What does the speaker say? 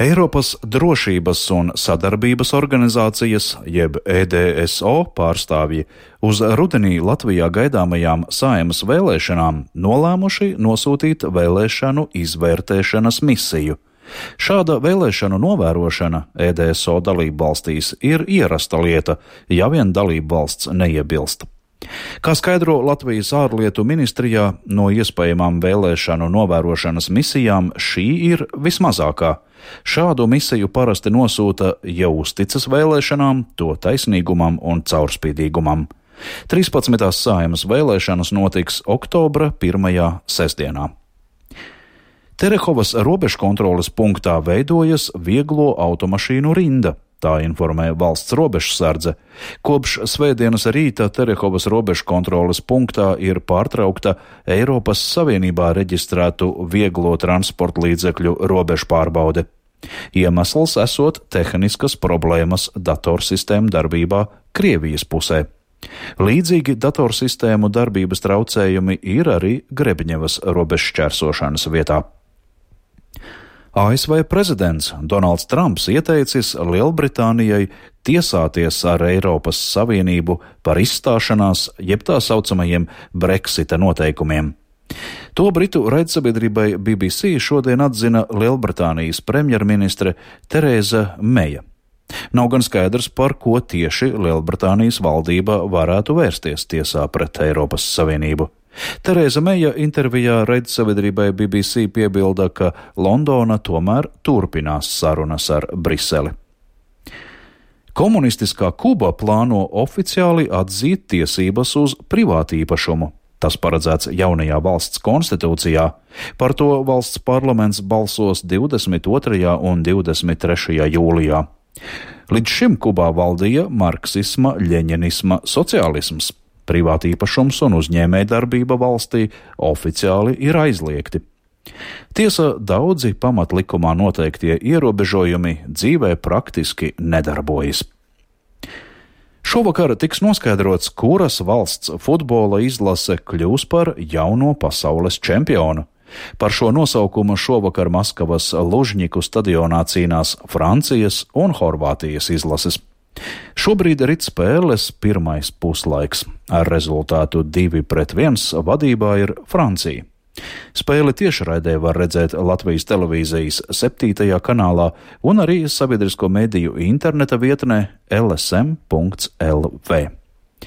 Eiropas drošības un sadarbības organizācijas, jeb EDSO pārstāvji uz rudenī Latvijā gaidāmajām Saeimas vēlēšanām nolēmuši nosūtīt vēlēšanu izvērtēšanas misiju. Šāda vēlēšanu novērošana EDSO dalībvalstīs ir ierasta lieta, ja vien dalībvalsts neiebilst. Kā skaidro Latvijas ārlietu ministrijā, no iespējamām vēlēšanu novērošanas misijām šī ir vismazākā. Šādu misiju parasti nosūta, ja uzticas vēlēšanām, to taisnīgumam un caurspīdīgumam. 13. Saeimas vēlēšanas notiks oktobra 1. sestdienā. Terehovas robežkontroles punktā veidojas vieglo automašīnu rinda. Tā informē valsts robežsardze. Kopš svētdienas rīta Terehovas robežkontroles punktā ir pārtraukta Eiropas Savienībā reģistrētu vieglo transporta līdzekļu robežpārbaude. Iemesls esot tehniskas problēmas datorsistēmu darbībā Krievijas pusē. Līdzīgi datorsistēmu darbības traucējumi ir arī Grebņevas robežšķērsošanas vietā. ASV prezidents Donalds Trumps ieteicis Lielbritānijai tiesāties ar Eiropas Savienību par izstāšanās, jeb tā saucamajiem Brexita noteikumiem. To britu raidsabiedrībai BBC šodien atzina Lielbritānijas premjerministre Tereza Meja. Nav gan skaidrs, par ko tieši Lielbritānijas valdība varētu vērsties tiesā pret Eiropas Savienību. Tereza Meja intervijā raidsabiedrībai BBC piebilda, ka Londona tomēr turpinās sarunas ar Briseli. Komunistiskā Kuba plāno oficiāli atzīt tiesības uz privātīpašumu. Tas paredzēts jaunajā valsts konstitūcijā. Par to valsts parlaments balsos 22. un 23. jūlijā. Līdz šim Kubā valdīja marksisma, ļeņinisma sociālisms. Privātīpašums un uzņēmējdarbība valstī oficiāli ir aizliegti. Tiesa, daudzi pamatlikumā noteiktie ierobežojumi dzīvē praktiski nedarbojas. Šovakar tiks noskaidrots, kuras valsts futbola izlase kļūs par jauno pasaules čempionu. Par šo nosaukumu šovakar Maskavas Lužņiku stadionā cīnās Francijas un Horvātijas izlases. Šobrīd rit spēles pirmais puslaiks. Ar rezultātu 2-1 vadībā ir Francija. Spēli tiešraidē var redzēt Latvijas televīzijas 7. kanālā un arī sabiedrisko mediju interneta vietnē lsm.lv.